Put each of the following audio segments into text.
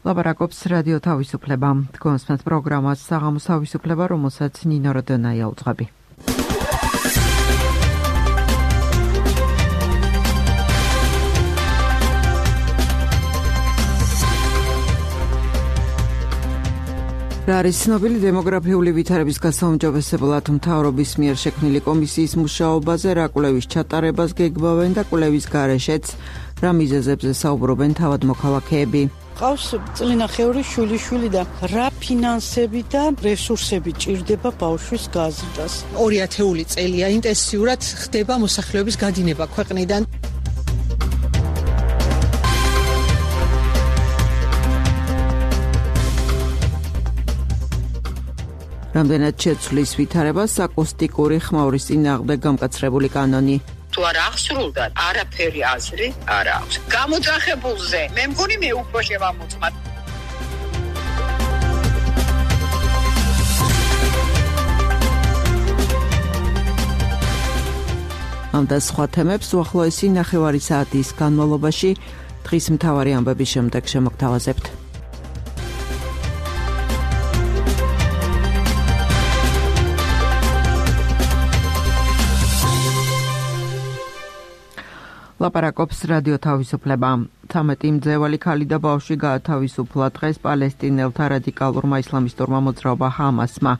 ლაპარაკობს რადიო თავისუფლება. თქვენს პროგრამას საღამოს თავისუფლება, რომელსაც ნინო როდონაია უძღვები. რა არის ცნობილი დემოგრაფიული ვითარების გასაუმჯობესებლად მთავრობის მიერ შექმნილი კომისიის მუშაობაზე, რა კვლევის ჩატარებას გეგმავენ და კვლევის გარეშეც რა მიზეზებზე საუბრობენ თავად მოქალაქეები. ყავს წლინახევრი შვილიშვილი და რა ფინანსები და რესურსები ჭირდება ბავშვის გაზრდას. 2 წელია ინტენსიურად ხდება მოსახლეობის გადინება ქვეყნიდან. რამდენად შეცვლის ვითარებას აკუსტიკური ხმაურის წინააღმდეგ გამკაცრებული კანონი. თუ არ აღსრულდა, არაფერი აზრი არ აქვს. გამოძახებულზე მე მგონი მე უფრო შევამოწმად. ამ და სხვა თემებს უახლოესი ნახევარი საათის განმავლობაში დღის მთავარი ამბების შემდეგ შემოგთავაზებთ. ლაპარაკობს რადიო თავისუფლება. 13 მძევალი ქალი და ბავშვი გაათავისუფლა დღეს პალესტინელთა რადიკალურმა ისლამისტურმა მოძრაობა ჰამასმა.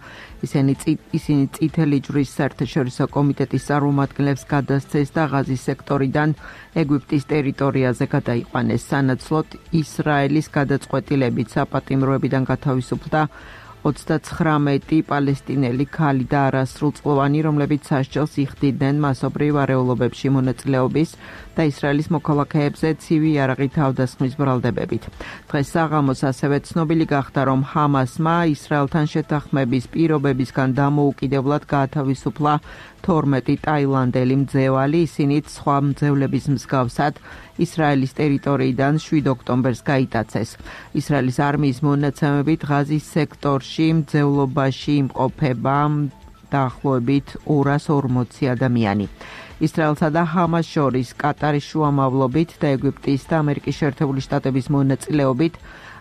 ისინი წითელი ჯვრის საერთაშორისო კომიტეტის წარმომადგენლებს გადასცეს და ღაზის სექტორიდან ეგვიპტის ტერიტორიაზე გადაიყვანეს. სანაცვლოდ ისრაელის გადაწყვეტილებით საპატიმროებიდან გათავისუფლდა 39 პალესტინელი ქალი და არასრულწლოვანი, რომლებიც სასჯელს იხდიდნენ მასობრივ არეულობებში მონაწილეობის და ისრაელის მოქალაქეებზე ცივი იარაღით თავდასხმის ბრალდებებით. დღეს საღამოს ასევე ცნობილი გახდა, რომ ჰამასმა ისრაელთან შეთანხმების პირობებისგან დამოუკიდებლად გაათავისუფლა 12 ტაილანდელი მძევალი, ისინიც სხვა მძევლების მსგავსად ისრაელის ტერიტორიიდან 7 ოქტომბერს გაიტაცეს. ისრაელის არმიის მონაცემებით ღაზის სექტორში მძევლობაში იმყოფება დაახლოებით 240 ადამიანი. ისრაელსა და ჰამას შორის კატარის შუამავლობით და ეგვიპტის და ამერიკის შეერთებული შტატების მონაწილეობით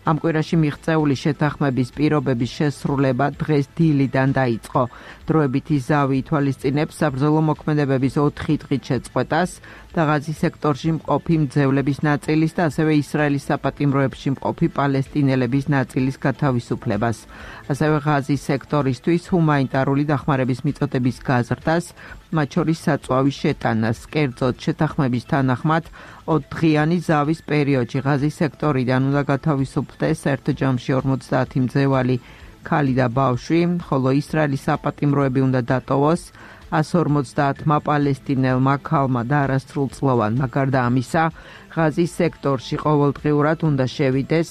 ამ კვირაში მიღწეული შეთანხმების პირობების შესრულება დღეს დილიდან დაიწყო. დროებითი ზავი ითვალისწინებს საბრძოლო მოქმედებების 4 დღით შეწყვეტას და ღაზის სექტორში მყოფი მძევლების ნაწილის და ასევე ისრაელის საპატიმროებში მყოფი პალესტინელების ნაწილის გათავისუფლებას. ასევე ღაზის სექტორისთვის ჰუმანიტარული დახმარების მიწოდების გაზრდას, მათ შორის საწვავის შეტანას. კერძოდ შეთანხმების თანახმად 4 დღიანი ზავის პერიოდში ღაზის სექტორიდან უნდა გათავისუფლდეს ერთ ჯამში 50 მძევალი ქალი და ბავშვი, ხოლო ისრაელის საპატიმროები უნდა დატოვოს 150 პალესტინელმა ქალმა და არასრულწლოვანმა. გარდა ამისა, ღაზის სექტორში ყოველდღიურად უნდა შევიდეს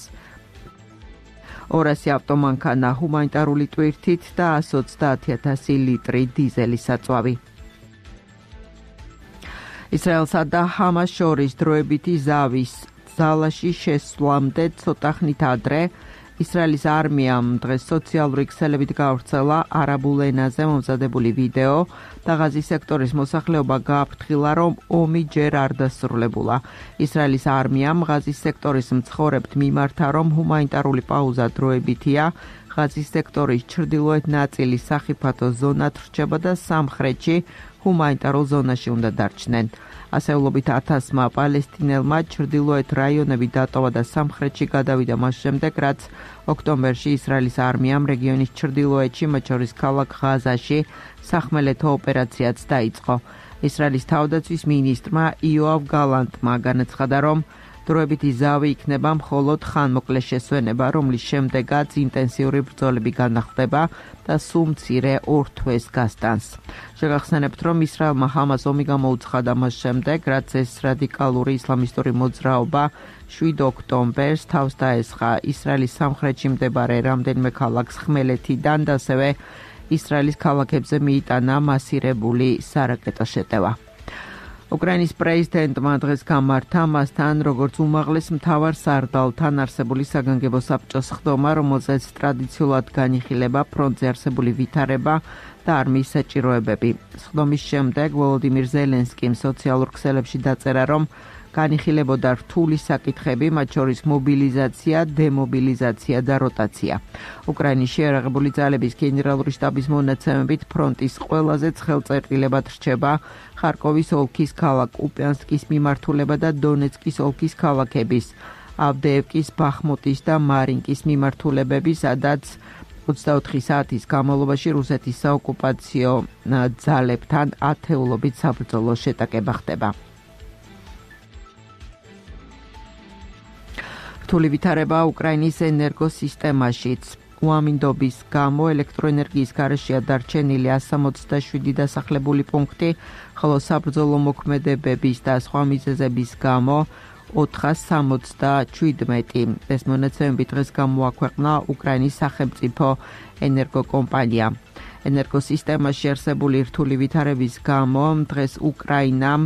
200 ავტომანქანა ჰუმანიტარული ტვირთით და 130,000 ლიტრი დიზელის საწვავი. ისრაელსა და ჰამას შორის დროებითი ზავის ზალაში შესვლამდე ცოტა ხნით ადრე ისრაელის არმიამ დღეს სოციალური ქსელებით გავრცელა არაბულ ენაზე მომზადებული ვიდეო და ღაზის სექტორის მოსახლეობა გააფრთხილა, რომ ომი ჯერ არ დასრულებულა. ისრაელის არმიამ ღაზის სექტორის მცხოვრებთ მიმართა, რომ ჰუმანიტარული პაუზა დროებითია, ღაზის სექტორის ჩრდილოეთ ნაწილი სახიფათო ზონად რჩება და სამხრეთში ჰუმანიტარულ ზონაში უნდა დარჩნენ. ასეულობით 1000-მა პალესტინელმა ჩრდილოეთ რაიონები დატოვა და სამხრეთში გადავიდა მას შემდეგ, რაც ოქტომბერში ისრაელის არმიამ რეგიონის ჩრდილოეთში, მათ შორის ქალაქ ღაზაში, სახმელეთო ოპერაციაც დაიწყო. ისრაელის თავდაცვის მინისტრმა იოავ გალანტმა განაცხადა, რომ დროებითი ზავი იქნება მხოლოდ ხანმოკლე შესვენება, რომლის შემდეგაც ინტენსიური ბრძოლები განახლდება და სულ მცირე 2 თვეს გასტანს. შეგახსენებთ, რომ ისრაელმა ჰამას ომი გამოუცხადა მას შემდეგ, რაც ეს რადიკალური ისლამისტური მოძრაობა 7 ოქტომბერს თავს დაესხა ისრაელის სამხრეთში მდებარე რამდენიმე ქალაქს ხმელეთიდან და ასევე ისრაელის ქალაქებზე მიიტანა მასირებული სარაკეტო შეტევა. უკრაინის პრეზიდენტმა დღეს გამართა მასთან როგორც უმაღლეს მთავარ სარდალთან არსებული საგანგებო საბჭოს ხდომა, რომელზეც ტრადიციულად განიხილება ფრონტზე არსებული ვითარება და არმიის საჭიროებები. ხდომის შემდეგ ვოლოდიმირ ზელენსკიმ სოციალურ ქსელებში დაწერა, რომ განიხილებოდა რთული საკითხები, მათ შორის მობილიზაცია, დემობილიზაცია და როტაცია. უკრაინის შეიარაღებული ძალების გენერალური შტაბის მონაცემებით ფრონტის ყველაზე ცხელწერტილებად რჩება ხარკოვის ოლქის ქალაქ კუპიანსკის მიმართულება და დონეცკის ოლქის ქალაქების ავდეევკის, ბახმუტის და მარინკის მიმართულებები, სადაც 24 საათის განმავლობაში რუსეთის საოკუპაციო ძალებთან ათეულობით საბრძოლო შეტაკება ხდება. რთული ვითარება უკრაინის ენერგოსისტემაშიც. უამინდობის გამო ელექტროენერგიის გარეშეა დარჩენილი 167 დასახლებული პუნქტი, ხოლო საბრძოლო მოქმედებების და სხვა მიზეზების გამო 477. ეს მონაცემები დღეს გამოაქვეყნა უკრაინის სახელმწიფო ენერგოკომპანია. ენერგოსისტემაში არსებული რთული ვითარების გამო დღეს უკრაინამ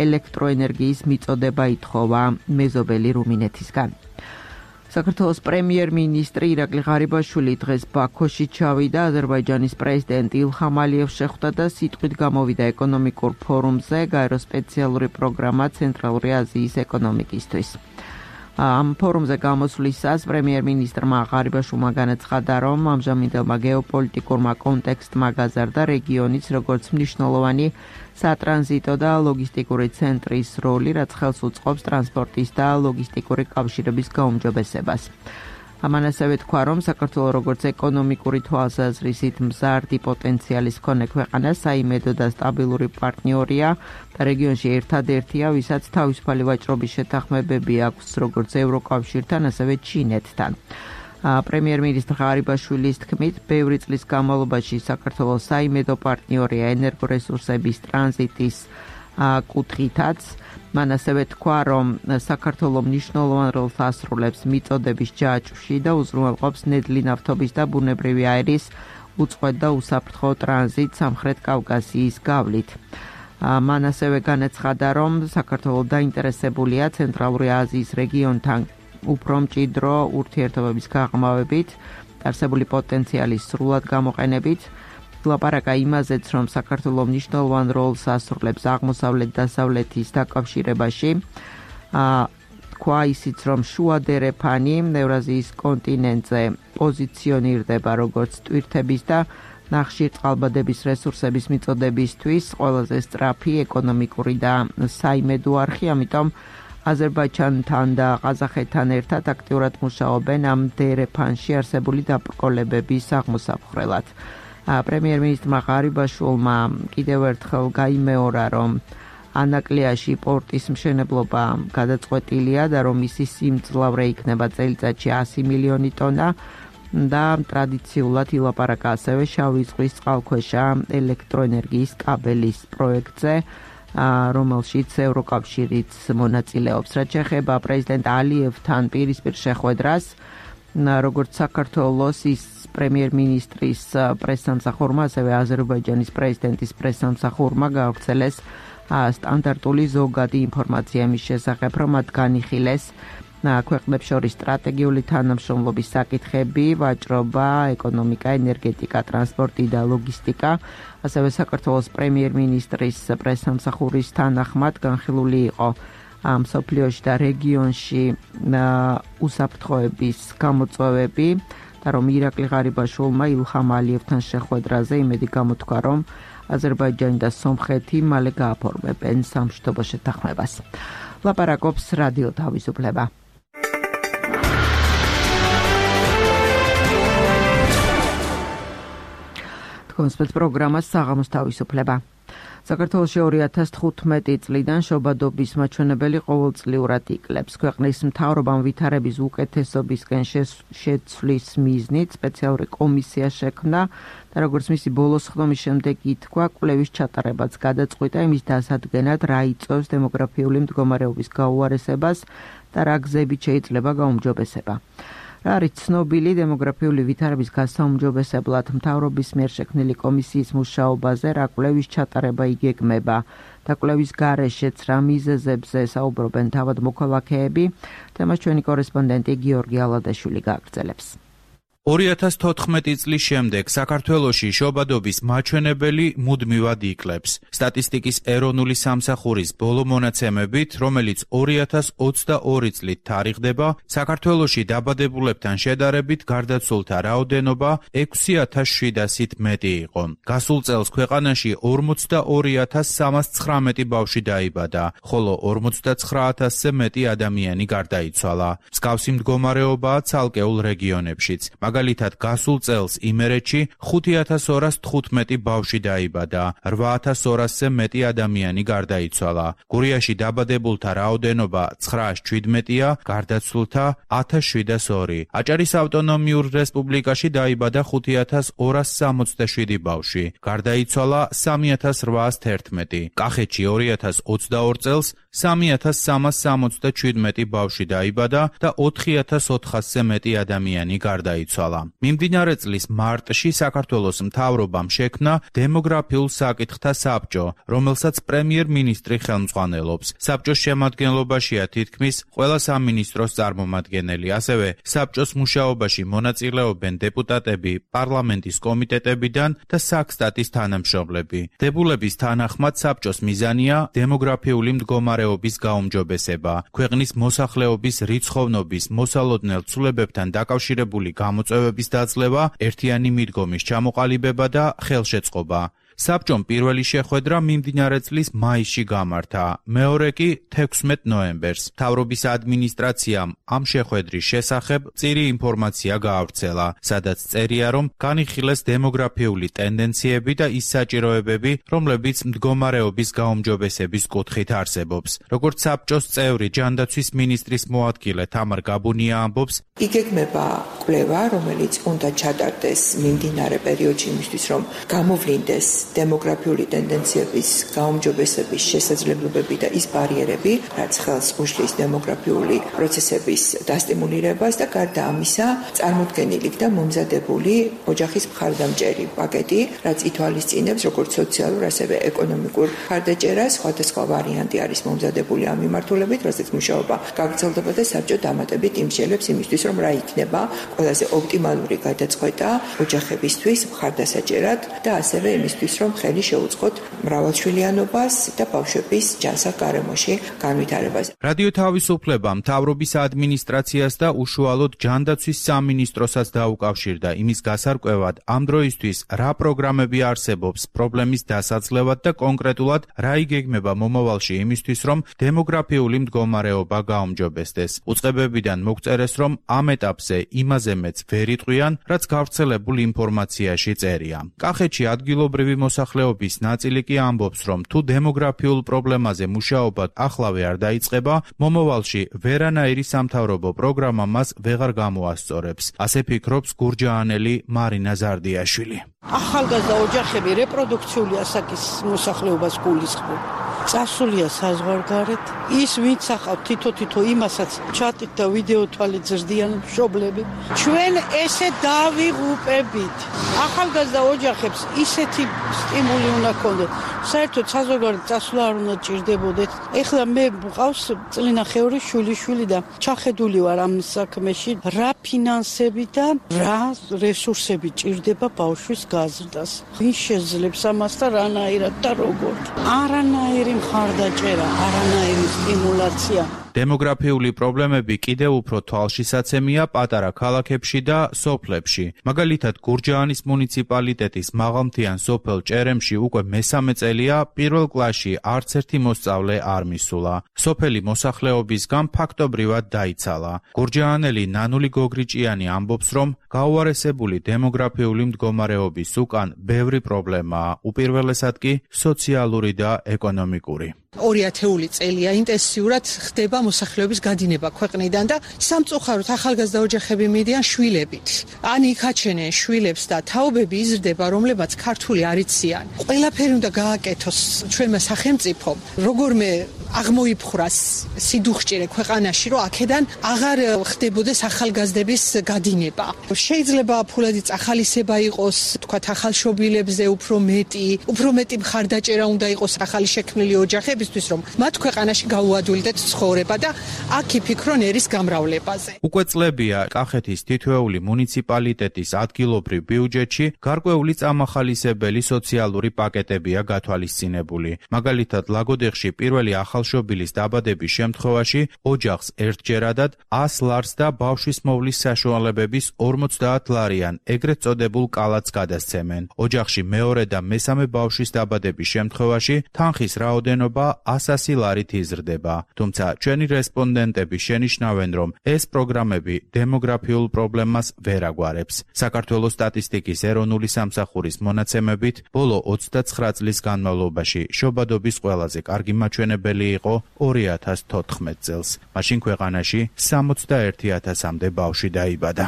ელექტროენერგიის მიწოდება ითხოვა მეზობელი რუმინეთისგან. საქართველოს პრემიერ-მინისტრი ირაკლი ღარიბაშვილი დღეს ბაქოში ჩავიდა, აზერბაიჯანის პრეზიდენტ ილჰამ ალიევს შეხვდა და სიტყვით გამოვიდა ეკონომიკურ ფორუმზე გაერო სპეციალური პროგრამა ცენტრალური აზიის ეკონომიკისთვის. ამ ფორუმზე გამოსვლისას პრემიერ-მინისტრმა ღარიბაშვილმა განაცხადა, რომ ამჟამინდელმა გეოპოლიტიკურმა კონტექსტმა გაზარდა რეგიონის როგორც მნიშვნელოვანი სატრანზიტო და ლოგისტიკური ცენტრის როლი, რაც ხელს უწყობს ტრანსპორტის და ლოგისტიკური კავშირების გაუმჯობესებას. ამან ასევე თქვა, რომ საქართველო როგორც ეკონომიკური თვალსაზრისით მზარდი პოტენციალის მქონე ქვეყანა, საიმედო და სტაბილური პარტნიორია და რეგიონში ერთადერთია, ვისაც თავისუფალი ვაჭრობის შეთანხმებები აქვს როგორც ევროკავშირთან, ასევე ჩინეთთან. პრემიერ-მინისტრ ღარიბაშვილის თქმით, ბევრი წლის განმავლობაში საქართველოს საიმედო პარტნიორია ენერგორესურსების ტრანზიტის კუთხითაც. მან ასევე თქვა, რომ საქართველო მნიშვნელოვან როლს ასრულებს მიწოდების ჯაჭვში და უზრუნველყოფს ნედლი ნავთობის და ბუნებრივი აირის უწყვეტ და უსაფრთხო ტრანზიტს სამხრეთ კავკასიის გავლით. მან ასევე განაცხადა, რომ საქართველო დაინტერესებულია ცენტრალური აზიის რეგიონთან უფრო მჭიდრო ურთიერთობების გაღრმავებით, არსებული პოტენციალის სრულად გამოყენებით. ლაპარაკა იმაზეც, რომ საქართველო მნიშვნელოვან როლს ასრულებს აღმოსავლეთ-დასავლეთის დაკავშირებაში. თქვა ისიც, რომ შუა დერეფანი ევრაზიის კონტინენტზე პოზიციონირდება როგორც ტვირთების და ნახშირწყალბადების რესურსების მიწოდებისთვის ყველაზე სწრაფი ეკონომიკური და საიმედო არხი, ამიტომ აზერბაიჯანთან და ყაზახეთთან ერთად აქტიურად მუშაობენ ამ დერეფანში არსებული დაბრკოლებების აღმოსაყრელად. პრემიერ-მინისტრმა ღარიბაშვილმა კიდევ ერთხელ გაიმეორა, რომ ანაკლიაში პორტის მშენებლობა გადაწყვეტილია და რომ მისი სიმძლავრე იქნება წელიწადში 100 მილიონი ტონა და ტრადიციულად ილაპარაკა ასევე შავი ზღვის წყალქვეშა ელექტროენერგიის კაბელის პროექტზე, რომელშიც ევროკავშირიც მონაწილეობს. რაც შეეხება პრეზიდენტ ალიევთან პირისპირ შეხვედრას, როგორც საქართველოს ის პრემიერ-მინისტრის პრესსამსახურმა, ასევე აზერბაიჯანის პრეზიდენტის პრესსამსახურმა გაავრცელეს სტანდარტული ზოგადი ინფორმაცია იმის შესახებ, რომ მათ განიხილეს ქვეყნებს შორის სტრატეგიული თანამშრომლობის საკითხები, ვაჭრობა, ეკონომიკა, ენერგეტიკა, ტრანსპორტი და ლოგისტიკა. ასევე საქართველოს პრემიერ-მინისტრის პრესსამსახურის თანახმად განხილული იყო მსოფლიოში და რეგიონში უსაფრთხოების გამოწვევები და რომ ირაკლი ღარიბაშვილმა ილჰამ ალიევთან შეხვედრაზე იმედი გამოთქვა, რომ აზერბაიჯანი და სომხეთი მალე გააფორმებენ სამშვიდობო შეთანხმებას. ლაპარაკობს რადიო თავისუფლება. თქვენს პროგრამას საღამოს თავისუფლება. საქართველოში 2015 წლიდან შობადობის მაჩვენებელი ყოველწლიურად იკლებს. ქვეყნის მთავრობამ ვითარების უკეთესობისკენ შეცვლის მიზნით სპეციალური კომისია შექმნა და როგორც მისი ბოლოს ხდომის შემდეგ ითქვა, კვლევის ჩატარებაც გადაწყვიტა იმის დასადგენად, რა იწვევს დემოგრაფიული მდგომარეობის გაუარესებას და რა გზებით შეიძლება გაუმჯობესება. რა არის ცნობილი დემოგრაფიული ვითარების გასაუმჯობესებლად მთავრობის მიერ შექმნილი კომისიის მუშაობაზე, რა კვლევის ჩატარება იგეგმება და კვლევის გარეშეც რა მიზეზებზე საუბრობენ თავად მოქალაქეები, თემას ჩვენი კორესპონდენტი გიორგი ალადაშვილი გააგრძელებს. 2014 წლის შემდეგ საქართველოში შობადობის მაჩვენებელი მუდმივად იკლებს. სტატისტიკის ეროვნული სამსახურის ბოლო მონაცემებით, რომელიც 2022 წლით თარიღდება, საქართველოში დაბადებულებთან შედარებით გარდაცვლილთა რაოდენობა 6700-ით მეტი იყო. გასულ წელს ქვეყანაში 42319 ბავშვი დაიბადა, ხოლო 49000-ზე მეტი ადამიანი გარდაიცვალა. მსგავსი მდგომარეობაა ცალკეულ რეგიონებშიც. მაგალითად, გასულ წელს იმერეთში 5215 ბავშვი დაიბადა, 8200-ზე მეტი ადამიანი გარდაიცვალა. გურიაში დაბადებულთა რაოდენობა 917-ია, გარდაცვლილთა 1702. აჭარის ავტონომიურ რესპუბლიკაში დაიბადა 5267 ბავშვი, გარდაიცვალა 3811. კახეთში 2022 წელს 3367 ბავშვი დაიბადა და 4400-ზე მეტი ადამიანი გარდაიცვალა. მიმდინარე წლის მარტში საქართველოს მთავრობამ შექმნა დემოგრაფიულ საკითხთა საბჭო, რომელსაც პრემიერ-მინისტრი ხელმძღვანელობს. საბჭოს შემადგენლობაშია თითქმის ყველა სამინისტროს წარმომადგენელი, ასევე საბჭოს მუშაობაში მონაწილეობენ დეპუტატები პარლამენტის კომიტეტებიდან და საქსტატის თანამშრომლები. დებულების თანახმად საბჭოს მიზანია დემოგრაფიული მდგომარეობის გაუმჯობესება, ქვეყნის მოსახლეობის რიცხოვნობის მოსალოდნელ ცვლილებებთან დაკავშირებული გამოწვევების დაძლევა, ერთიანი მიდგომის ჩამოყალიბება და ხელშეწყობა. საბჭომ პირველი შეხვედრა მიმდინარე წლის მაისში გამართა, მეორე კი 16 ნოემბერს. მთავრობის ადმინისტრაციამ ამ შეხვედრის შესახებ მწირი ინფორმაცია გაავრცელა, სადაც წერია, რომ განიხილეს დემოგრაფიული ტენდენციები და ის საჭიროებები, რომლებიც მდგომარეობის გაუმჯობესების კუთხით არსებობს. როგორც საბჭოს წევრი ჯანდაცვის მინისტრის მოადგილე თამარ გაბუნია ამბობს, იგეგმება კვლევა, რომელიც უნდა ჩატარდეს მიმდინარე პერიოდში იმისთვის, რომ გამოვლინდეს დემოგრაფიული ტენდენციების გაუმჯობესების შესაძლებლობები და ის ბარიერები, რაც ხელს უშლის დემოგრაფიული პროცესების დასტიმულირებას და გარდა ამისა, წარმოდგენილი და მომზადებული ოჯახის მხარდამჭერი პაკეტი, რაც ითვალისწინებს როგორც სოციალურ, ასევე ეკონომიკურ მხარდაჭერას. სხვადასხვა ვარიანტი არის მომზადებული ამ მიმართულებით, რასაც მუშაობა გაგრძელდება და საბჭო დამატებით იმსჯელებს იმისთვის, რომ რა იქნება ყველაზე ოპტიმალური გადაწყვეტა ოჯახებისთვის მხარდასაჭერად და ასევე იმისთვის, რომ ხელი შეუწყოთ მრავალშვილიანობას და ბავშვების ჯანსაღ გარემოში განვითარებას. რადიო თავისუფლება მთავრობის ადმინისტრაციას და უშუალოდ ჯანდაცვის სამინისტროსაც დაუკავშირდა იმის გასარკვევად, ამ დროისთვის რა პროგრამები არსებობს პრობლემის დასაძლევად და კონკრეტულად რა იგეგმება მომავალში იმისთვის, რომ დემოგრაფიული მდგომარეობა გაუმჯობესდეს. უწყებებიდან მოგწერეს, რომ ამ ეტაპზე იმაზე მეც ვერ იტყვიან, რაც გავრცელებულ ინფორმაციაში წერია. კახეთში ადგილობრივი მოსახლეობის ნაწილი კი ამბობს, რომ თუ დემოგრაფიულ პრობლემაზე მუშაობა ახლავე არ დაიწყება, მომავალში ვერანაირი სამთავრობო პროგრამა მას ვეღარ გამოასწორებს. ასე ფიქრობს გურჯაანელი მარინა ზარდიაშვილი. ახალგაზრდა ოჯახები რეპროდუქციული ასაკის მოსახლეობას გულისხმობ. წასულია საზღვარგარეთ, ის ვინც ახავთ თითო იმასაც ჩატით და ვიდეო თვალით ზრდიან მშობლები. ჩვენ ესე დავიღუპებით. ახალგაზრდა ოჯახებს ისეთი სტიმული უნდა ქონდეთ. საერთოდ საზღვარგარეთ წასვლა არ უნდა ჭირდებოდეთ. ეხლა მე მყავს წლინახევრი შვილიშვილი და ჩახედული ვარ ამ საქმეში, რა ფინანსები და რა რესურსები ჭირდება ბავშვის გაზრდას. ვინ შეძლებს ამას და რანაირად და როგორ? არანაირი მხარდაჭერა, არანაირი სტიმულაცია. დემოგრაფიული პრობლემები კიდევ უფრო თვალშისაცემია პატარა ქალაქებში და სოფლებში. მაგალითად, გურჯაანის მუნიციპალიტეტის მაღალმთიან სოფელ ჭერემში უკვე მესამე წელია პირველ კლასში არც ერთი მოსწავლე არ მისულა. სოფელი მოსახლეობისგან ფაქტობრივად დაიცალა. გურჯაანელი ნანული გოგრიჭიანი ამბობს, რომ გაუარესებული დემოგრაფიული მდგომარეობის უკან ბევრი პრობლემაა, უპირველესად კი სოციალური და ეკონომიკური. 2000 წელია ინტენსიურად ხდება მოსახლეობის გადინება ქვეყნიდან და სამწუხაროდ ახალგაზრდა ოჯახები მიდიან შვილებით. ან იქაჩენენ შვილებს და თაობები იზრდება, რომლებაც ქართული არ იციან. ყველაფერი უნდა გააკეთოს ჩვენმა სახელმწიფომ, როგორმე აღმოიფხრას სიდუხჭირე ქვეყანაში, რომ აქედან აღარ ხდებოდეს ახალგაზრდების გადინება. შეიძლება ფულადი წახალისება იყოს, თქვათ ახალშობილებზე უფრო მეტი მხარდაჭერა უნდა იყოს ახალი შექმნილი ოჯახების იმისათვის რომ მათ ქვეყანაში გაუადვილდეთ ცხოვრება და აქ იფიქრონ ერის გამრავლებაზე. უკვე წლებია კახეთის თითოეული მუნიციპალიტეტის ადგილობრივ ბიუჯეტში გარკვეული წამახალისებელი სოციალური პაკეტებია გათვალისწინებული. მაგალითად, ლაგოდეხში პირველი ახალშობილის დაბადების შემთხვევაში ოჯახს ერთჯერადად 100 ლარს და ბავშვის მოვლის საშუალებების 50 ლარიან ეგრეთ წოდებულ კალათს გადასცემენ. ოჯახში მეორე და მესამე ბავშვის დაბადების შემთხვევაში თანხის რაოდენობა 100 ლარით იზრდება. თუმცა ჩვენი რესპონდენტები შენიშნავენ, რომ ეს პროგრამები დემოგრაფიულ პრობლემას ვერ აგვარებს. საქართველოს სტატისტიკის ეროვნული სამსახურის მონაცემებით, ბოლო 29 წლის განმავლობაში შობადობის ყველაზე კარგი მაჩვენებელი იყო 2014 წელს. მაშინ ქვეყანაში 61,000-მდე ბავშვი დაიბადა.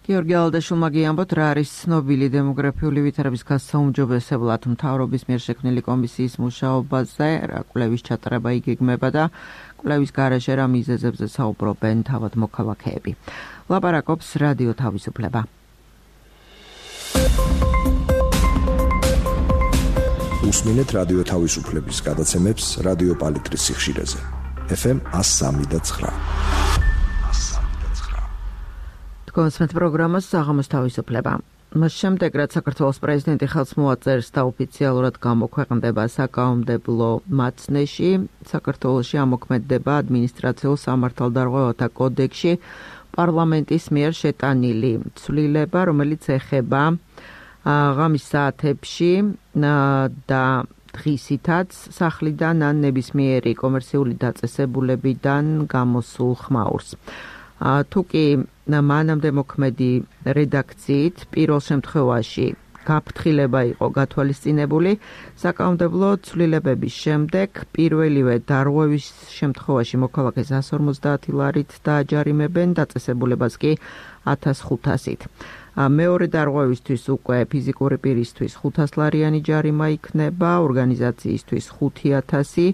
გიორგი ალდაშულმა გიამბოთ, რა არის ცნობილი დემოგრაფიული ვითარების გასაუმჯობესებლად მთავრობის მიერ შექმნილი კომისიის მუშაობაზე, რა კვლევის ჩატარება იგეგმება და კვლევის გარეშე რა მიზეზებზე საუბრობენ თავად მოქალაქეები. ლაპარაკობს რადიო თავისუფლება. უსმინეთ რადიო თავისუფლების გადაცემებს რადიო პალიტრის სიხშირეზე. FM 103.9. კონსმეთ პროგრამას საღამოს თავისუფლება. მას შემდეგ, რაც საქართველოს პრეზიდენტი ხელს მოაწერს და ოფიციალურად გამოქვეყნდება საკანონმდებლო მაცნეში, საქართველოში ამოქმედდება ადმინისტრაციულ სამართალდარღვევათა კოდექსში პარლამენტის მიერ შეტანილი ცვლილება, რომელიც ეხება ღამის საათებში და დღისითაც სახლიდან ან ნებისმიერი კომერციული დაწესებულებიდან გამოსულ ხმაურს. თუ კი მანამდე მოქმედი რედაქციით პირველ შემთხვევაში გაფრთხილება იყო გათვალისწინებული, საკანონმდებლო ცვლილებების შემდეგ პირველივე დარღვევის შემთხვევაში მოქალაქეს 150 ლარით დააჯარიმებენ, დაწესებულებას კი 1500-ით. მეორე დარღვევისთვის უკვე ფიზიკური პირისთვის 500 ლარიანი ჯარიმა იქნება, ორგანიზაციისთვის 5000,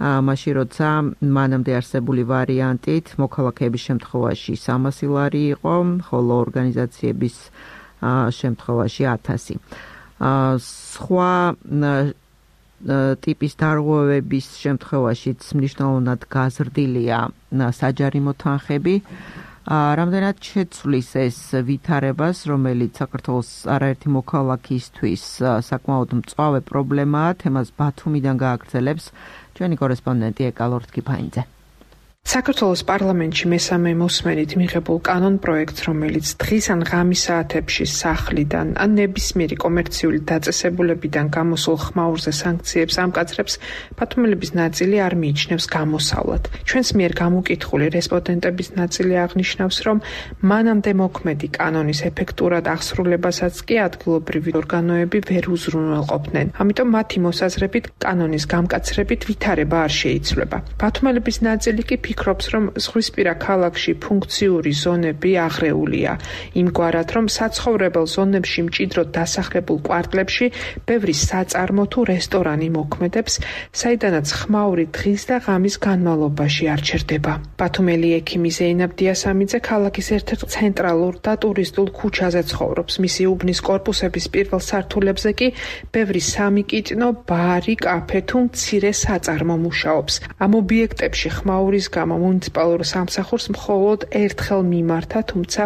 მაშინ როცა მანამდე არსებული ვარიანტით მოქალაქეების შემთხვევაში 300 ლარი იყო, ხოლო ორგანიზაციების შემთხვევაში 1000. სხვა ტიპის დარღვევების შემთხვევაშიც მნიშვნელოვნად გაზრდილია საჯარიმო თანხები. რამდენად შეცვლის ეს ვითარებას, რომელიც საქართველოს არაერთი მოქალაქისთვის საკმაოდ მწვავე პრობლემაა, თემას ბათუმიდან გააგრძელებს ჩვენი კორესპონდენტი ეკალორთ კიფაინძე. საქართველოს პარლამენტში მესამე მოსმენით მიღებულ კანონპროექტს, რომელიც დღის ან ღამის საათებში სახლიდან ან ნებისმიერი კომერციული დაწესებულებიდან გამოსულ ხმაურზე სანქციებს ამკაცრებს, ბათუმელების ნაწილი არ მიიჩნევს გამოსავლად. ჩვენს მიერ გამოკითხული რესპონდენტების ნაწილი აღნიშნავს, რომ მანამდე მოქმედი კანონის ეფექტურად აღსრულებასაც კი ადგილობრივი ორგანოები ვერ უზრუნველყოფდნენ. ამიტომ მათი მოსაზრებით კანონის გამკაცრებით ვითარება არ შეიცვლება. ბათუმელების ნაწილი კი ფიქრობს, რომ ზღვისპირა ქალაქში ფუნქციური ზონები აღრეულია, იმგვარად, რომ საცხოვრებელ ზონებში მჭიდროდ დასახლებულ კვარტლებში ბევრი საწარმო თუ რესტორანი მოქმედებს, საიდანაც ხმაური დღის და ღამის განმავლობაში არ ჩერდება. ბათუმელი ექიმი ზეინაბ დიასამიძე ქალაქის ერთ-ერთ ცენტრალურ და ტურისტულ ქუჩაზე ცხოვრობს. მისი უბნის კორპუსების პირველ სართულებზე კი ბევრი სამიკიტნო, ბარი, კაფე თუ მცირე საწარმო მუშაობს. ამ ობიექტებში ხმაურის გამო მუნიციპალურ სამსახურს მხოლოდ ერთხელ მიმართა, თუმცა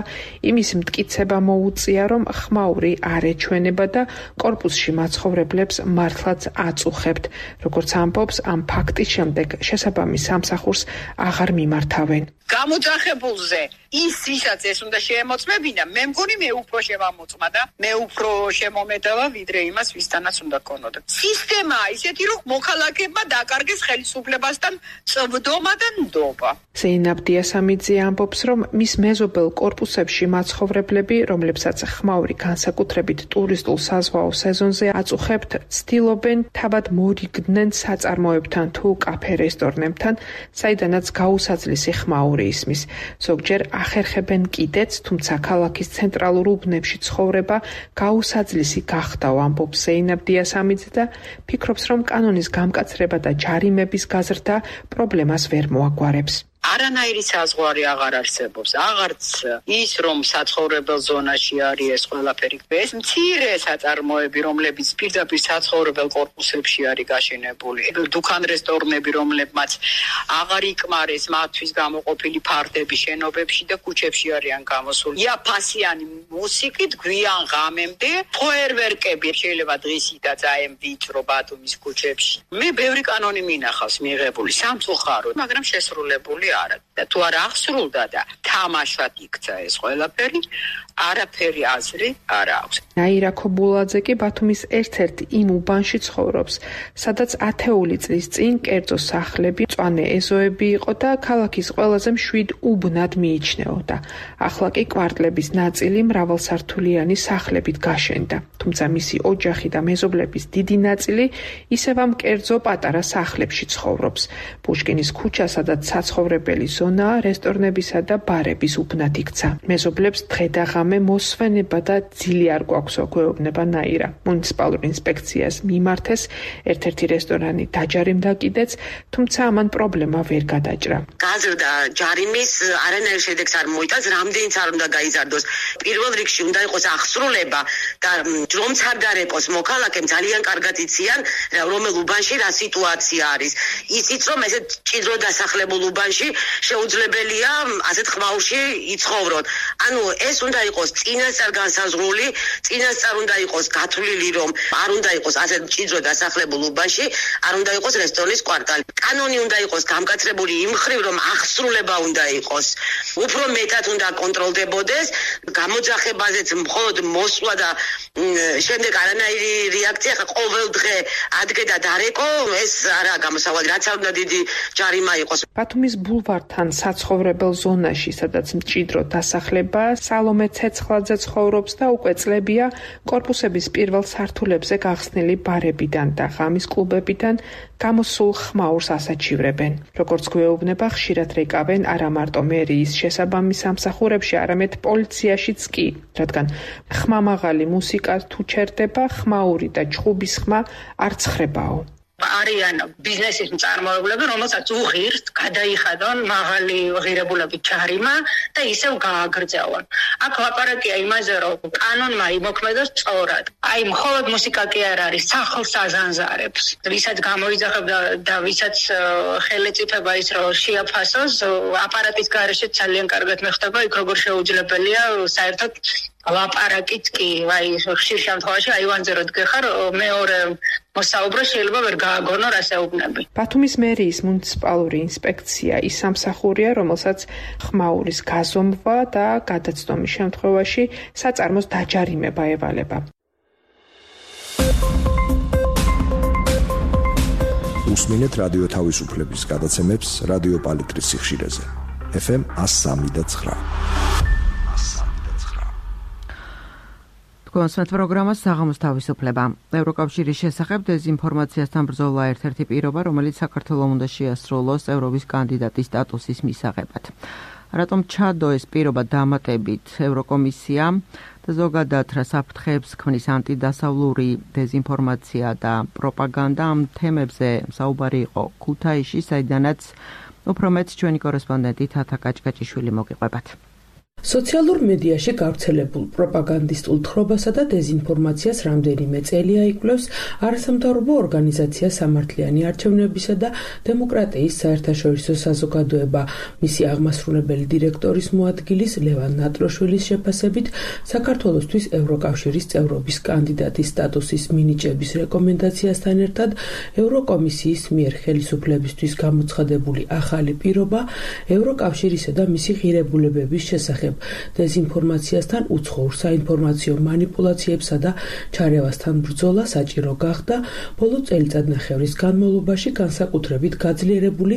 იმის მტკიცება მოუწია, რომ ხმაური არ ეჩვენება და კორპუსში მაცხოვრებლებს მართლაც აწუხებთ. როგორც ამბობს, ამ ფაქტის შემდეგ შესაბამის სამსახურს აღარ მიმართავენ. გამოძახებულზე ის ვისაც ეს უნდა შეემოწმებინა, მე მგონი მე უფრო შემამოწმა და მე უფრო შემომედავა ვიდრე იმას ვისთანაც უნდა ქონოდა. სისტემაა ისეთი, რომ მოქალაქეებმა დაკარგეს ხელისუფლებასთან წვდომა და ნდობა. ზეინაბ დიასამიძე ამბობს, რომ მის მეზობელ კორპუსებში მაცხოვრებლები, რომლებსაც ხმაური განსაკუთრებით ტურისტულ საზღვაო სეზონზე აწუხებთ, ცდილობენ თავად მორიგდნენ საწარმოებთან თუ კაფე-რესტორნებთან, საიდანაც გაუსაძლისი ხმაური ისმის. ზოგჯერ ახერხებენ კიდეც, თუმცა ქალაქის ცენტრალურ უბნებში ცხოვრება გაუსაძლისი გახდა, ამბობს ზეინაბ დიასამიძე და ფიქრობს, რომ კანონის გამკაცრება და ჯარიმების გაზრდა პრობლემას ვერ მოაგვარებს. არანაირი საზღვარი აღარ არსებობს. აღარც ის, რომ საცხოვრებელ ზონაში არის ეს ყველაფერი. ეს მცირე საწარმოები, რომლებიც პირდაპირ საცხოვრებელ კორპუსებში არის გაშენებული. დუქან რესტორნები, რომლებმაც აღარ იკმარეს მათთვის გამოყოფილი ფარდები შენობებში და ქუჩებში არიან გამოსული. ფასიანი მუსიკით გვიან ღამემდე ფოიერვერკები შეიძლება დღისითაც აემ ვიწრო ბათუმის ქუჩებში. მე ბევრი კანონი მინახავს მიღებული სამწუხაროდ, მაგრამ შესრულებული არა. და თუ არ აღსრულდა და თამაშად იქცა ეს ყველაფერი, არაფერი აზრი არ აქვს. ნაირა ქობულაძე კი ბათუმის ერთ-ერთ იმ უბანში ცხოვრობს, სადაც ათეული წლის წინ კერძო სახლები, მწვანე ეზოები იყო და ქალაქის ყველაზე მშვიდ უბნად მიიჩნეოდა. ახლა კი კვარტლების ნაწილი მრავალსართულიანი სახლებით გაშენდა. თუმცა მისი ოჯახი და მეზობლების დიდი ნაწილი ისევ ამ კერძო პატარა სახლებში ცხოვრობს. პუშკინის ქუჩა, სადაც საცხოვრებელი ზონაა, რესტორნებისა და ბარების უბნად იქცა. მეზობლებს დღე და ღამე მოსვენება და ძილი არ გვაქვსო, გვეუბნება ნაირა. მუნიციპალურ ინსპექციას მიმართეს, ერთ-ერთი რესტორანი დაჯარიმდა კიდეც, თუმცა ამან პრობლემა ვერ გადაჭრა. გაზრდა ჯარიმის არანაირ შედეგს არ მოიტანს, რამდენიც არ უნდა გაიზარდოს. პირველ რიგში უნდა იყოს აღსრულება და რომც არ გარეკოს მოქალაქემ ძალიან კარგად იციან, რომელ უბანში რა სიტუაცია არის. ისიც რომ ესეთ ჭიდრო დასახლებულ უბანში შეუძლებელია ასეთ ხმაურში იცხოვრონ. ანუ ეს უნდა იყოს წინასწარ განსაზღვრული, წინასწარ უნდა იყოს გათვლილი, რომ არ უნდა იყოს ასეთ ჭიდრო დასახლებულ უბანში, არ უნდა იყოს რესტორნის კვარტალი. კანონი უნდა იყოს გამკაცრებული იმ მხრივ, რომ აღსრულება უნდა იყოს. უფრო მეტად უნდა კონტროლდებოდეს, გამოძახებაზეც მხოლოდ მოსვლა და შემდეგ არანაირი რეაქცია, ყოველ დღე ადგე და დარეკო, ეს არა გამოსავალი, რაც არ უნდა დიდი ჯარიმა იყოს. ბათუმის ბულვართან საცხოვრებელ ზონაში, სადაც მჭიდრო დასახლება, სალომე ცეცხლაძე ცხოვრობს და უკვე წლებია კორპუსების პირველ სართულებზე გახსნილი ბარებიდან და ღამის კლუბებიდან გამოსულ ხმაურს ასაჩივრებენ. როგორც გვეუბნება, ხშირად რეკავენ არა მარტო მერიის შესაბამის სამსახურებში, არამედ პოლიციაშიც კი, რადგან ხმამაღალი მუსიკა თუ ჩერდება, ხმაური და ჩხუბის ხმა არ ცხრებაო. არიან ბიზნესის მწარმოებლები, რომელსაც უღირთ გადაიხადონ მაღალი ღირებულებით ჯარიმა და ისევ გააგრძელონ. აქ ლაპარაკია იმაზე, რომ კანონმა იმოქმედოს სწორად. აი, მხოლოდ მუსიკა კი არ არის, სახლს აზანზარებს. ვისაც გამოიძახებდა და ვისაც ხელეწიფება ის რომ შეაფასოს, აპარატის გარეშე ძალიან კარგად მეხდება, იქ როგორ შეუძლებელია საერთოდ ლაპარაკიც კი, აი, ხშირ შემთხვევაში აივანზე რო დგეხარ, მეორე მოსაუბრე შეიძლება ვერ გააგონო რასეუბნები. ბათუმის მერიის მუნიციპალური ინსპექცია ის სამსახურია, რომელსაც ხმაურის გაზომვა და გადაცდომის შემთხვევაში საწარმოს დაჯარიმება ევალება. უსმინეთ რადიო თავისუფლების გადაცემებს რადიო პალიტრის სიხშირეზე. FM 103.9. კონსვენთ პროგრამას საღამოს თავისუფლება. ევროკავშირის შესახებ დეზინფორმაციასთან ბრძოლა ერთ-ერთი პირობა, რომელიც საქართველოს უნდა შეასრულოს ევროპის კანდიდატის სტატუსის მისაღებად. რატომ ჩადო ეს პირობა დამატებით ევროკომისია და ზოგადად რა საფრთხეებს ქმნის ანტიდასავლური დეზინფორმაცია და პროპაგანდა, ამ თემებზე საუბარი იყო ქუთაისში, საიდანაც უფრო მეტ ჩვენი კორესპონდენტი თათა კაჭკაჭიშვილი მოგიყვებათ. სოციალურ მედიაში გავრცელებულ პროპაგანდისტულ თხრობასა და დეზინფორმაციას რამდენიმე წელია იკვლევს არასამთავრობო ორგანიზაცია სამართლიანი არჩევნებისა და დემოკრატიის საერთაშორისო საზოგადოება. მისი აღმასრულებელი დირექტორის მოადგილის ლევან ნატროშვილის შეფასებით, საქართველოსთვის ევროკავშირის წევრობის კანდიდატის სტატუსის მინიჭების რეკომენდაციასთან ერთად ევროკომისიის მიერ ხელისუფლებისთვის გამოცხადებული ახალი პირობა ევროკავშირისა და მისი ღირებულებების შესახებ დეზინფორმაციასთან, უცხოურ საინფორმაციო манипуляციებსა და ჩარევასთან ბრძოლა საჭირო გახდა ბოლო წელიწადნახევრის განმავლობაში განსაკუთრებით გაძლიერებული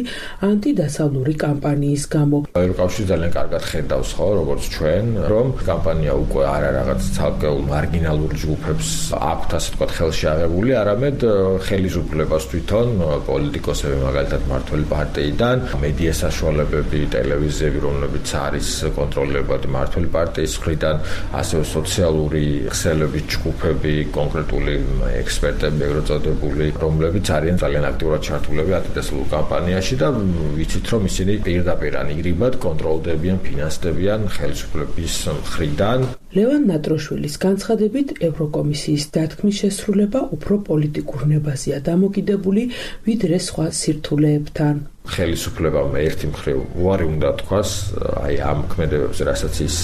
ანტიდასავლური კამპანიის გამო. ევროკავშირი ძალიან კარგად ხედავს, ხო, როგორც ჩვენ, რომ კამპანია უკვე არა რაღაც ცალკეულ მარგინალურ ჯგუფებს აქვთ, ასე ვთქვათ, ხელში აღებული, არამედ ხელისუფლებას თვითონ პოლიტიკოსები, მაგალითად მართველი პარტიიდან, მედია საშუალებები, ტელევიზიები, რომლებიც არის კონტროლებული შეეცვალებათ მართული პარტიის მხრიდან, ასევე სოციალური ხსელების ჯგუფები, კონკრეტული ექსპერტები, ეგრეთ წოდებული, რომლებიც არიან ძალიან აქტიურად ჩართულები ანტიდასავლურ კამპანიაში და ვიცით, რომ ისინი პირდაპირ ან იგრიბად კონტროლდებიან, ფინანსდებიან ხელისუფლების მხრიდან. ლევან ნატროშვილის განცხადებით, ევროკომისიის დათქმის შესრულება უფრო პოლიტიკურ ნებაზეა დამოკიდებული, ვიდრე სხვა სირთულეებთან. ხელისუფლებამ ერთი მხრივ უარი უნდა თქვას აი ამ ქმედებებზე, რასაც ის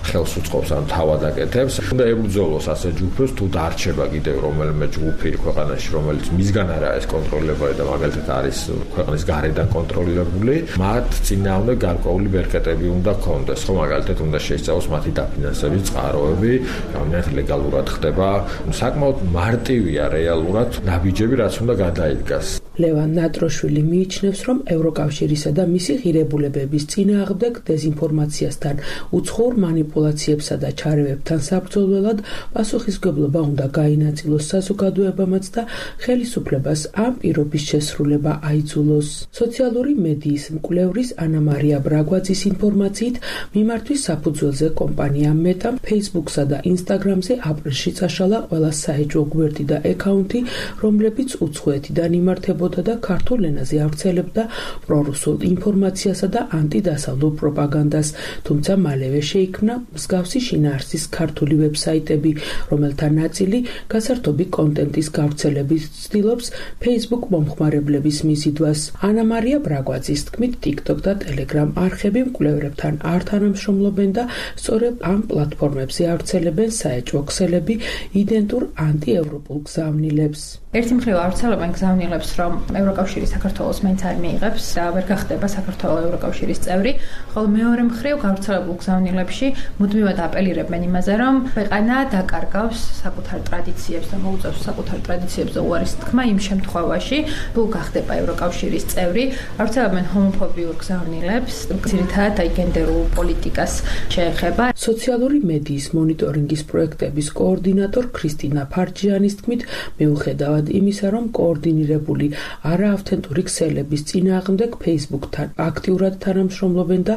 ხელს უწყობს ან თავად აკეთებს. უნდა ებრძოლოს ასე ჯგუფებს, თუ დარჩება კიდევ რომელიმე ჯგუფი ქვეყანაში, რომელიც მისგან არა ეს კონტროლებული და მაგალითად არის ქვეყნის გარედან კონტროლირებული, მათ წინააღმდეგ გარკვეული ბერკეტები უნდა ქონდეს. ხო, მაგალითად უნდა შეისწავლოს მათი დაფინანსების წყაროები, რამდენად ლეგალურად ხდება. საკმაოდ მარტივია რეალურად ნაბიჯები, რაც უნდა გადაიდგას. ლევან ნატროშვილი მიიჩნევს, რომ ევროკავშირისა და მისი ღირებულებების წინააღმდეგ დეზინფორმაციასთან, უცხოურ манипуляციებსა და ჩარევებთან საბრძოლველად პასუხისმგებლობა უნდა გაინაწილოს საზოგადოებამაც და ხელისუფლებას ამ პირობის შესრულება აიძულოს. სოციალური მედიის მკვლევრის ანა მარია ბრაგვაძის ინფორმაციით, მიმართვის საფუძველზე კომპანია მეტამ Facebook-სა და Instagram-ზე აპრილში წაშალა ყველა საეჭვო გვერდი და აკაუნთი, რომლებიც უცხოეთიდან იმართებოდა და ქართულ ენაზე ავრცელებდა პრორუსულ ინფორმაციასა და ანტიდასავლურ პროპაგანდას, თუმცა მალევე შეიქმნა მსგავსი შინაარსის ქართული ვებსაიტები, რომელთა ნაწილი გასართობი კონტენტის გავრცელების ცდილობს Facebook მომხმარებლების მიზიდვას. ანა მარია ბრაგვაძის თქმით, TikTok და Telegram არხები მკვლევრებთან არ თანამშრომლობენ და სწორედ ამ პლატფორმებზე ავრცელებენ საეჭვო ქსელები იდენტურ ანტიევროპულ გზავნილებს. ერთი მხრივ ავრცელებენ გზავნილებს, რომ ევროკავშირი საქართველოს მაინც არ მიიღებს და ვერ გახდება საქართველოს ევროკავშირის წევრი, ხოლო მეორე მხრივ გავრცელებულ გზავნილებში მუდმივად აპელირებენ იმაზე, რომ ქვეყანა დაკარგავს საკუთარ ტრადიციებს და მოუწევს საკუთარ ტრადიციებზე უარის თქმა იმ შემთხვევაში, თუ გახდება ევროკავშირის წევრი. ავრცელებენ ჰომოფობიურ გზავნილებს, ძირითადად აი გენდერულ პოლიტიკას შეეხება. სოციალური მედიის მონიტორინგის პროექტების კოორდინატორ ქრისტინა ფარჯიანის თქმით, მიუხედავად იმისა, რომ კოორდინირებული არაავთენტური ქსელების წინააღმდეგ Facebook-თან აქტიურად თანამშრომლობენ და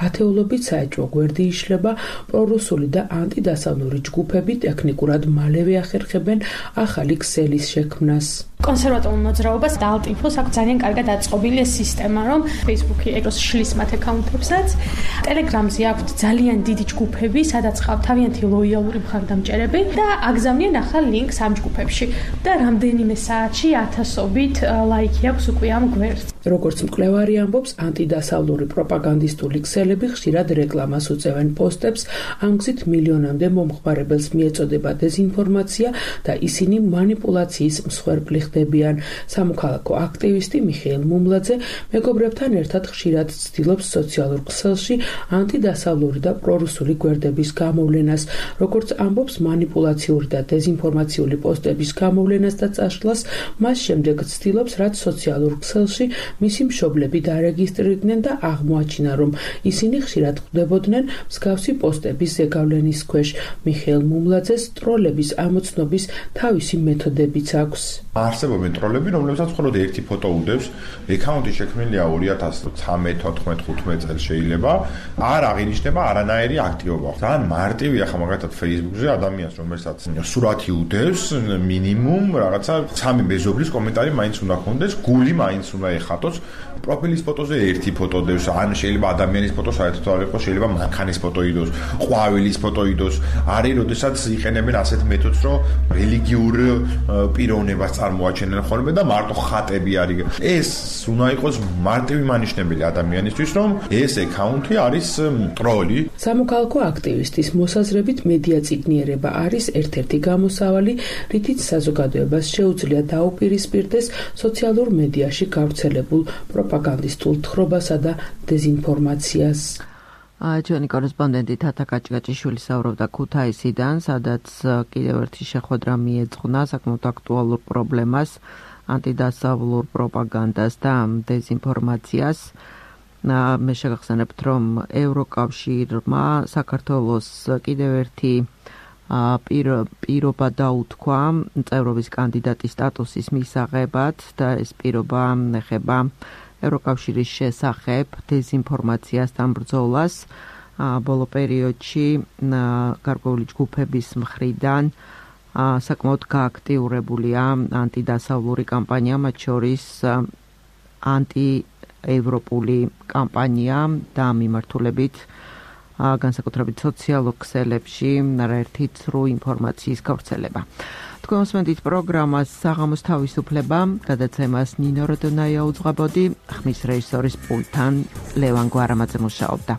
ათეულობით საეჭვო გვერდი იშლება, პრორუსული და ანტიდასავლური ჯგუფები ტექნიკურად მალევე ახერხებენ ახალი ქსელის შექმნას. კონსერვატორულ მოძრაობას და ალტ-ინფოს აქვს ძალიან კარგად აწყობილი ეს სისტემა, რომ Facebook-ი ეგროს შლის მათ აკაუნტებსაც. Telegram-ზე აქვს ძალიან დიდი ჯგუფები, სადაც ყავთ თავიანთი ლოიალური მხარდამჭერები და აგზავნიან ახალ ლინკს ამ ჯგუფებში და რამდენიმე საათში ათასობით ლაიქი აქვს უკვე ამ გვერდს. როგორც მკვლევარი ამბობს, ანტიდასავლური პროპაგანდისტული ქსელები ხშირად რეკლამას უწევენ პოსტებს, ამ გზით მილიონამდე მომხმარებელს მიეწოდება დეზინფორმაცია და ისინი манипуляციის მსხვერპლი ხდებიან. სამოქალაქო აქტივისტი მიხეილ მუმლაძე მეგობრებთან ერთად ხშირად ცდილობს სოციალურ ქსელში ანტიდასავლური და პრორუსული გვერდების გამოვლენას, როგორც ამბობს, манипуляციური და დეზინფორმაციული პოსტების გამოვლენას და წაშლას, მას შემდეგ ცდილობს, რაც სოციალურ ქსელში მისი მშობლები დარეგისტრირდნენ და აღმოაჩინა, რომ ისინი ხშირად ხვდებოდნენ მსგავსი პოსტების ზეგავლენის ქვეშ. მიხეილ მუმლაძეს ტროლების ამოცნობის თავისი მეთოდებიც აქვს. არსებობენ ტროლები, რომლებსაც მხოლოდ ერთი ფოტო უდევს, აკაუნტი შექმნილია 2013-14-15 წელს შეიძლება, არ აღინიშნება არანაირი აქტივობა. ძალიან მარტივია ხა მაგალითად Facebook-ზე ადამიანს, რომელსაც სურათი უდევს, მინიმუმ რაღაცა 3 მეზობლის კომენტარი მაინც უნდა ქონდეს, გული მაინც უნდა ეხატოს, პროფილის ფოტოზე ერთი ფოტო დევს, ან შეიძლება ადამიანის ფოტო საერთოდ არ იყოს, შეიძლება მანქანის ფოტო იდოს, ყვავილის ფოტო იდოს. არის როდესაც იყენებენ ასეთ მეთოდს, რომ რელიგიურ პიროვნებას წარმოაჩენენ ხოლმე და მარტო ხატები არის. ეს უნდა იყოს მარტივი მანიშნებელი ადამიანისთვის, რომ ეს აკაუნტი არის ტროლი. სამოქალაქო აქტივისტის მოსაზრებით მედია წიგნიერება არის ერთ-ერთი გამოსავალი, რითიც საზოგადოებას შეუძლია დაუპირისპირდეს სოციალურ მედიაში გავრცელებულ პროპაგანდისტულ თხრობასა და დეზინფორმაციას. ჩვენი კორესპონდენტი თათა კაჭკაჭიშვილი საუბრობდა ქუთაისიდან, სადაც კიდევ ერთი შეხვედრა მიეძღვნა საკმაოდ აქტუალურ პრობლემას, ანტიდასავლურ პროპაგანდას და დეზინფორმაციას. მე შეგახსენებთ, რომ ევროკავშირმა საქართველოს კიდევ ერთი პირობა დაუთქვა წევრობის კანდიდატის სტატუსის მისაღებად და ეს პირობა ეხება ევროკავშირის შესახებ დეზინფორმაციასთან ბრძოლას. ბოლო პერიოდში გარკვეული ჯგუფების მხრიდან საკმაოდ გააქტიურებულია ანტიდასავლური კამპანია, მათ შორის ანტიევროპული კამპანია და მიმართულებით განსაკუთრებით სოციალურ ქსელებში არაერთი ცრუ ინფორმაციის გავრცელება. თქვენ მოსმენთ პროგრამას საღამოს თავისუფლება, გადაცემას ნინო როდონაია უძღვებოდი, ხმის რეჟისორის პულტთან ლევან გვარამაძე მუშაობდა.